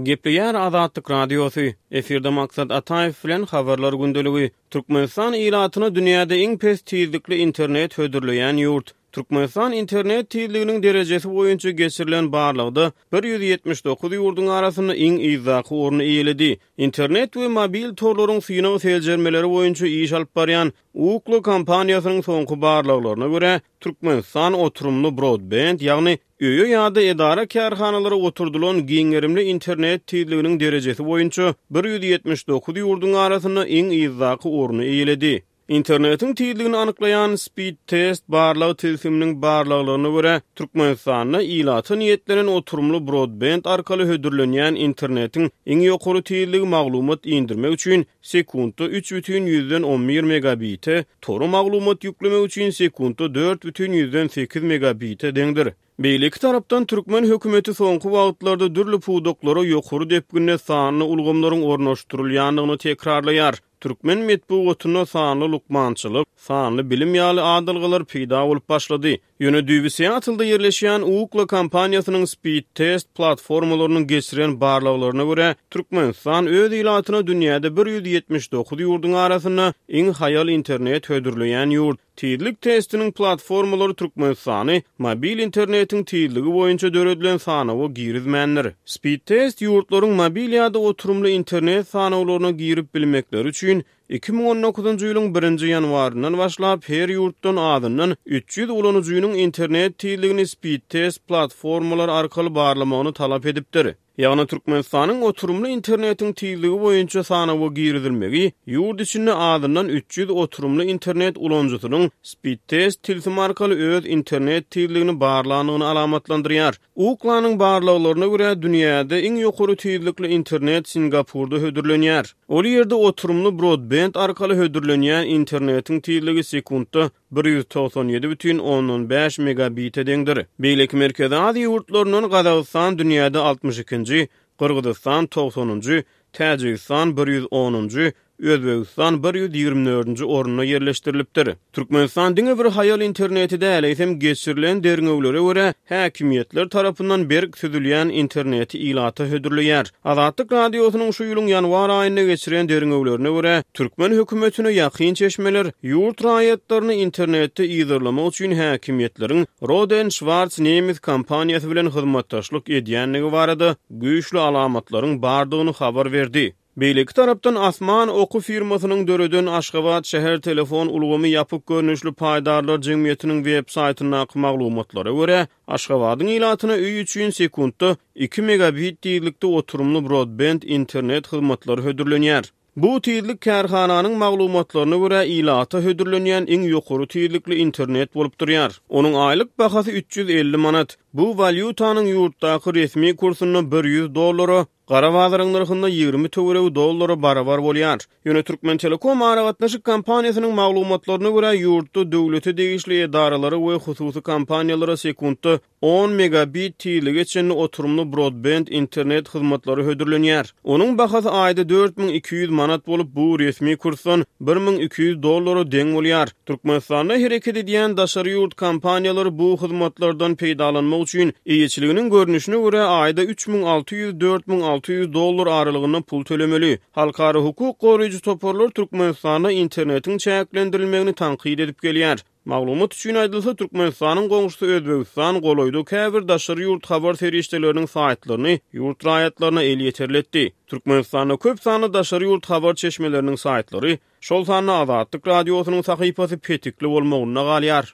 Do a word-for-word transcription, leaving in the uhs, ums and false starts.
Gepleýär Azatlyk Radiosy, efirde Maksat Ataýew bilen Habarlar gündeligi. Türkmenistan ilatyna dünýäde iň pes tizlikli internet hödürleýän ýurt. Türkmenistan internet tizliginiň derejesi boýunça geçirilen barlagda bir ýüz ýetmiş dokuz ýurduň arasynda iň yzdaky orny eýeledi. Internet we mobil torlaryň synag seljermeleri boýunça iş alyp barýan Ookla kompaniýasynyň soňky barlaglaryna görä, Türkmenistan oturymly broadband, ýagny öýe ýa-da edara-kärhanalara oturdylan giň gerimli internet tizliginiň derejesi boýunça bir ýüz ýetmiş dokuz ýurduň arasynda iň yzdaky orny eýeledi. Internetiň tizligini anyklaýan Speedtest barlag tilsiminiň barlaglaryna görä, Türkmenistanda ilata niýetlenen oturymly broadband arkaly hödürlenýän internetiň iň ýokary tizligi maglumat indirmek üçin sekuntda üç bütin ýüzden on bir megabite, tora maglumat ýüklemek üçin sekuntda dört bütin ýüzden sekiz megabite deňdir. Beýleki tarapdan türkmen hökümeti soňky wagtlarda dürli pudaklara ýokary depginde sanly ulgamlaryň ornaşdyrylýandygyny tekrarlaýar. Türkmen metbugatynda sanly lukmançylyk, sanly bilim ýaly adalgalar peýda bolup başlady. Ýöne düýbi Seattle'da ýerleşýän Ookla kompaniýasynyň Speedtest platformalarynyň geçiren barlaglaryna görä, Türkmenistan öz ilatyna dünýäde bir ýüz ýetmiş dokuz ýurduň arasynda iň haýal internet hödürleýän ýurt. Tizlik testiniň platformalary Türkmenistany mobil internetiň tizligi boýunça döredilen sanawa girizmändir. Speedtest ýurtlaryň mobil ýa-da oturymly internet sanawlaryna girip bilmekleri üçin iki müň on dokuzynjy ýylyň birinji ýanwaryndan başlap her ýurtdan azyndan üç ýüz ulanyjynyň internet tizligini Speedtest platformalary arkaly barlamagyny talap edipdir. Ýagny Türkmenistanyň oturymly internetiň tizligi boýunça sanawa girizilmegi ýurt içinde azyndan üç ýüz oturymly internet ulanyjysynyň Speedtest tilsimi arkaly öz internet tizligini barlandygyny alamatlandyrýar. Ooklanyň barlaglaryna görä dünýäde iň ýokary tizlikli internet Singapurda hödürlenýär. Ol ýerde oturymly broadband arkaly hödürlenýän internetiň tizligi sekuntda bir ýüz togsan ýedi bütin ondan bäş megabite deňdir. Beýleki Merkezi Aziýa ýurtlaryndan Gazagystan dünýäde altmyş ikinji, Gyrgyzystan togsanynjy, Täjigistan bir ýüz onunjy, Özbegistan bir ýüz ýigrimi dördünji orunda ýerleşdirilipdir. Türkmenistan diňe bir haýal interneti däl, eýsem geçirilen derňewlere görä häkimiýetler tarapyndan berk süzülýän interneti ilata hödürleýär. Azatlyk Radiosynyň şu ýylyň ýanwar aýynda geçiren derňewlerine görä, türkmen hökümetine ýakyn çeşmeler ýurt raýatlaryny internetde yzarlamak üçin häkimiýetleriň Rohde und Schwarz nemes kompaniýasy bilen hyzmatdaşlyk edýändigi barada güýçli alamatlaryň bardygyny habar berdi. Beýleki tarapdan Asman oky firmasynyň döreden Aşgabat şäher telefon ulgamy ýapyk görnüşli paýdarlar jemgyýetiniň web saýtyndaky maglumatlara görä, Aşgabadyň ilatyna öý üçin sekuntda iki megabit tizlikde oturymly broadband internet hyzmatlary hödürlenýär. Bu tizlik kärhananyň maglumatlaryna görä ilata hödürlenýän iň ýokary tizlikli internet bolup durýar. Onuň aýlyk bahasy üç ýüz elli manat. Bu walýutanyň ýurtdaky resmi kursunda bir ýüz dollara, gara bazaryň nyrhynda ýigrimi töweregi dollara barabar bolýar. Ýöne Türkmen Telekom aragatnaşyk kompaniýasynyň maglumatlaryna görä ýurtda döwlete degişli edaralara we hususy kompaniýalara sekuntda on megabit tizlige çenli oturymly broadband internet hyzmatlary hödürlenýär. Onuň bahasy aýda dört müň iki ýüz manat bolup, bu resmi kursdan bir müň iki ýüz dollara deň bolýar. Türkmenistanda hereket edýän daşary ýurt kompaniýalary bu hyzmatlardan peýdalanmak üçin eýeçiliginiň görnüşine görä aýda üç müň alty ýüz dört müň alty ýüz dollar aralygynda pul tölemeli. Halkara hukuk goraýjy toparlar Türkmenistanda internetiň çäklendirilmegini tankyt edip gelýär. Maglumat üçin aýdylsa, Türkmenistanyň goňşusy Özbegistan golaýda käbir daşary ýurt habar serişdeleriniň saýtlaryny ýurt raýatlaryna elýeterli etdi. Türkmenistanda köp sanly daşary ýurt habar çeşmeleriniň saýtlary, şol sanda Azatlyk Radiosynyň sahypasy petikli bolmagynda galýar.